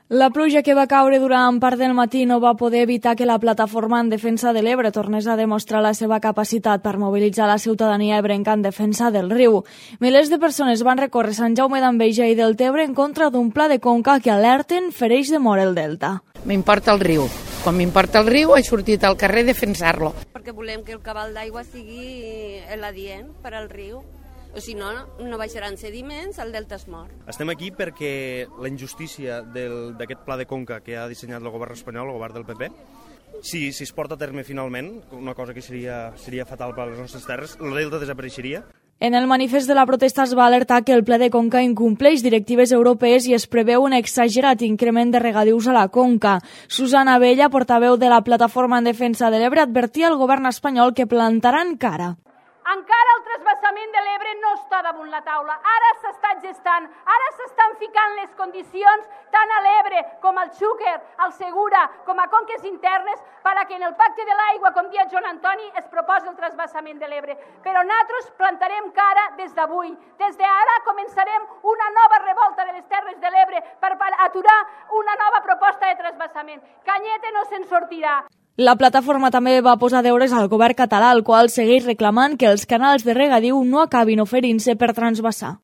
La pluja que va caure durant part del matí no va poder evitar que la plataforma en defensa de l'Ebre tornés a demostrar la seva capacitat per mobilitzar la ciutadania ebrenca en defensa del riu. Milers de persones van recórrer Sant Jaume d'Enveja i del Tebre en contra d'un pla de conca que alerten fereix de mort el delta. M'importa el riu. Quan m'importa el riu he sortit al carrer a defensar-lo. Perquè volem que el cabal d'aigua sigui l'adient per al riu. O si no, no baixaran sediments, el delta es mor. Estem aquí perquè la injustícia d'aquest pla de conca que ha dissenyat el govern espanyol, el govern del PP, si es porta a terme finalment, una cosa que seria fatal per a les nostres terres, el delta desapareixeria. En el manifest de la protesta es va alertar que el pla de conca incompleix directives europees i es preveu un exagerat increment de regadius a la conca. Susana Abella, portaveu de la Plataforma en Defensa de l'Ebre, advertia al govern espanyol que plantaran cara. Encara el transvasament de l'Ebre no està damunt la taula. Ara s'està gestant, ara s'estan ficant les condicions tant a l'Ebre com al Xúquer, al Segura, com a conques internes, perquè en el pacte de l'aigua, com dia Joan Antoni, es proposa el transvasament de l'Ebre. Però nosaltres plantarem cara des d'avui. Des d'ara començarem una nova revolta de les Terres de l'Ebre per aturar una nova proposta de transvasament. Canyete no se'n sortirà. La plataforma també va posar deures al govern català, el qual segueix reclamant que els canals de regadiu no acabin oferint-se per transvasar.